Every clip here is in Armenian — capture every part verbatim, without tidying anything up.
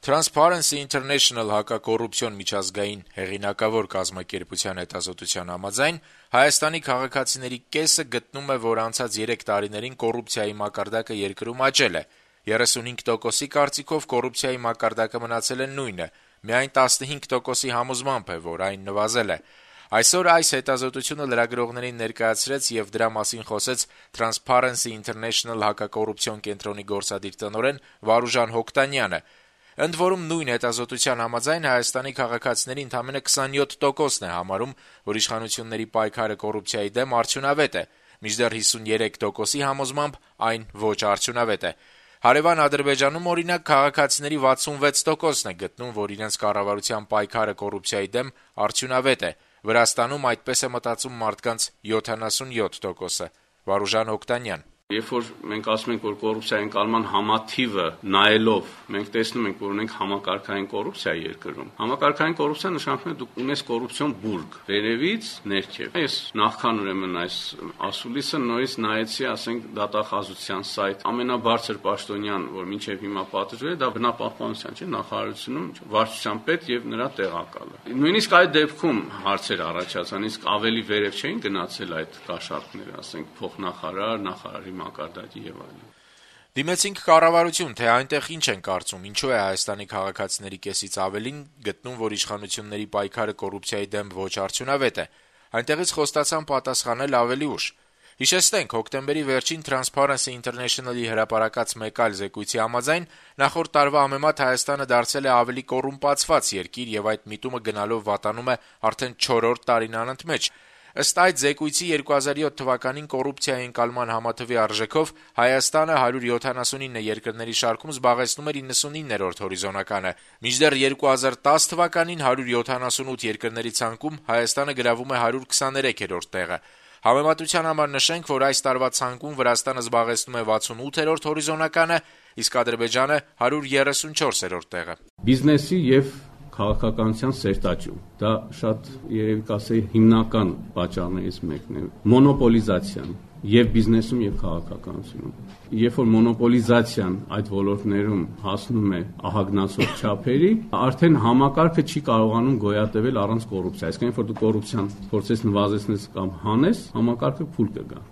Transparency International հակակոռուպցիոն միջազգային հեղինակավոր կազմակերպության հետազոտության համաձայն Հայաստանի քաղաքացիների կեսը գտնում է, որ անցած երեք տարիներին կոռուպցիայի մակարդակը երկրում աճել է: երեսունհինգ տոկոսի կարծիքով կոռուպցիայի մակարդակը մնացել է նույնը, միայն տասնհինգ տոկոսի համոզմամբ է, որ այն նվազել է: Այսօր այս հետազոտությունը լրագրողներին ներկայացրեց եւ դրա մասին խոսեց Transparency International հակակոռուպցիոն կենտրոնի գործադիր տնօրեն Վարուժան Հոկտանյանը: Ընդ որում, նույն հետազոտության համաձայն Հայաստանի քաղաքացիների ընդամենը քսանյոթ տոկոսն է համարում, որ իշխանությունների պայքարը կոռուպցիայի դեմ արդյունավետ է, մինչդեռ հիսունյերեք տոկոսի համոզմամբ այն ոչ արդյունավետ է: Հարեւան Ադրբեջանում, օրինակ, քաղաքացիների վաթսունվեց տոկոսն է գտնում, որ իրենց կառավարության պայքարը կոռուպցիայի դեմ արդյունավետ է: Վրաստանում այդպես է մտածում մարդկանց յոթանասունյոթ տոկոսը: Վարուժան Հոկտանյան. Երբ որ մենք ասում ենք, որ կոռուպցիայի ընկալման համաթիվը նայելով մենք տեսնում ենք, որ ունենք համակարգային կոռուպցիա երկրում, համակարգային կոռուպցիա նշանակում է դուք ունես կոռուպցիոն բուրգ վերևից ներքև: Ես նախքան ուրեմն այս ասուլիսը նորից նայեցի, ասենք, դատախազության սայթ, ամենաբարձր պաշտոնյան, որ մինչև հիմա պատժվել է, դա բնապահպանության չէ, նախարարությունում վարչության պետ եւ նրա տեղակալը: Նույնիսկ այդ դեպքում հարցեր առաջացան, իսկ ավելի վերև չէին գնացել այդ կաշառքները, ասենք, փոխնախարար, նախարարի մակարդակի եւ այլն: Դիմեցինք կառավարություն, թե այնտեղ ինչ են կարծում, ինչու է Հայաստանի քաղաքացիների կեսից ավելին գտնում, որ իշխանությունների պայքարը կոռուպցիայի դեմ ոչ արդյունավետ է: Այնտեղից խոստացան պատասխանել ավելի ուշ: Հիշեցնենք, հոկտեմբերի վերջին Transparency International-ի հրապարակած մեկ այլ զեկույցի համաձայն նախորդ տարվա համեմատ Հայաստանը դարձել է ավելի կոռումպացված երկիր եւ այդ միտումը գնալով վատանում է արդեն չորրորդ տարին անընդմեջ: Ըստ այդ զեկույցի երկու հազար յոթ թվականին կոռուպցիայի ընկալման համաթվի արժեքով Հայաստանը հարյուր յոթանասունինը երկրների շարքում զբաղեցնում էր իննսունիններորդ հորիզոնականը, մինչդեռ երկու հազար տաս թվականին հարյուր յոթանասունութ երկրների ցանկում Հայաստանը գրավում է հարյուր քսաներեքերորդ տեղը: Համեմատության համար նշենք, որ այս տարվա ցանկում Վրաստանը զբաղեցնում է վաթսունութերորդ հորիզոնականը, իսկ Ադրբեջանը հարյուր երեսունչորսերորդ տեղը: Բիզնեսի եւ քաղաքականության սերտաճում, դա շատ երևի կասեի հիմնական պատճառներից մեկն է: Մոնոպոլիզացիան եւ բիզնեսում եւ քաղաքականությունում: Երբ որ մոնոպոլիզացիան այդ ոլորտներում հասնում է ահագնացող չափերի, արդեն համակարգը չի կարողանում գոյատևել առանց կոռուպցիայի: Այսինքն, երբ որ դու կոռուպցիան փորձես նվազեցնես կամ հանես, համակարգը փուլ կգա: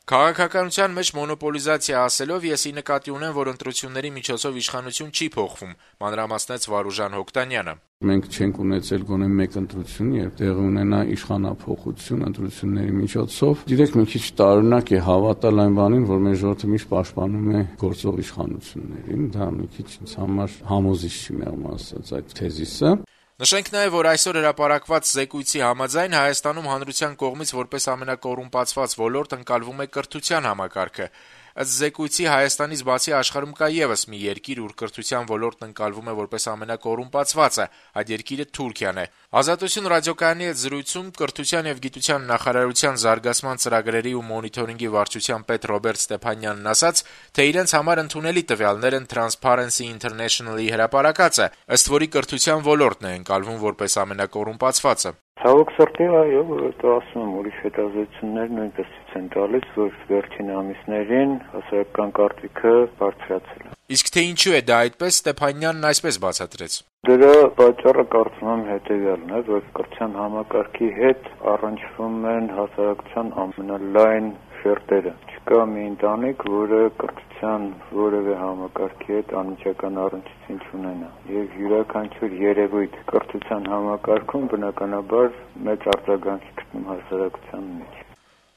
Քաղաքականության մեջ մոնոպոլիզացիա ասելով ես ի նկատի ունեմ, որ ընտրությունների միջոցով իշխանություն չի փոխվում, մանրամասնեց Վարուժան Հոկտանյանը: Մենք չենք ունեցել գոնե մեկ ընտրություն, երբ տեղի ունենա իշխանափոխություն ընտրությունների միջոցով: Գիտեք, մի քիչ տարօրինակ է հավատալ այն բանին, որ մեր ժողովուրդը միշտ պաշտպանում է գործող իշխանություններին: Դա մի քիչ ինձ համար համոզիչ չի, մեղմ ասած, այդ թեզիսը: Նշենք նաեւ, որ այսօր հրապարակված զեկույցի համաձայն Հայաստանում հանրության կողմից որպես ամենակոռումպացված ոլորտ ընկալվում է կրթության համակարգը: Ըստ զեկույցի Հայաստանից բացի աշխարհում կա եւս մի երկիր, ուր կրթության ոլորտն ընկալվում է որպես ամենակոռումպացվածը: Այդ երկիրը Թուրքիան է: «Ազատություն» ռադիոկայանի հետ զրույցում կրթության եւ գիտության նախարարության զարգացման ծրագրերի ու մոնիթորինգի վարչության պետ Ռոբերտ Ստեփանյանն ասաց, թե իրենց համար ընդունելի տվյալներ են Transparency International-ի հրապարակածը, ըստ որի կրթության ոլորտն է ընկալվում որպես ամենակոռումպացվածը: Ցավոք սրտի, այո, որովհետեւ ասում եմ, ուրիշ հետազոտություններ նույնպես ցույց են տալիս, որ վերջին ամիսներին հասարակական կարծիքը բարձրացել է: Իսկ թե ինչու է դա այդպես, Ստեփանյանն այսպես բացատրեց. Դրա պատճառը կարծում եմ հետեւյալն է, որ կրթության համակարգի հետ առնչվում են հասարակության ամենալայն շերտերը: Չկա մի ընտանիք, որը կրթության որեւէ համակարգի հետ անմիջական առնչություն չունենա: Եվ յուրաքանչյուր երևույթ կրթության համակարգում բնականաբար մեծ արձագանք է գտնում հասարակության մեջ: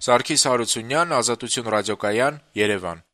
Սարգիս Հարությունյան, Ազատություն ռադիոկայան, Երևան: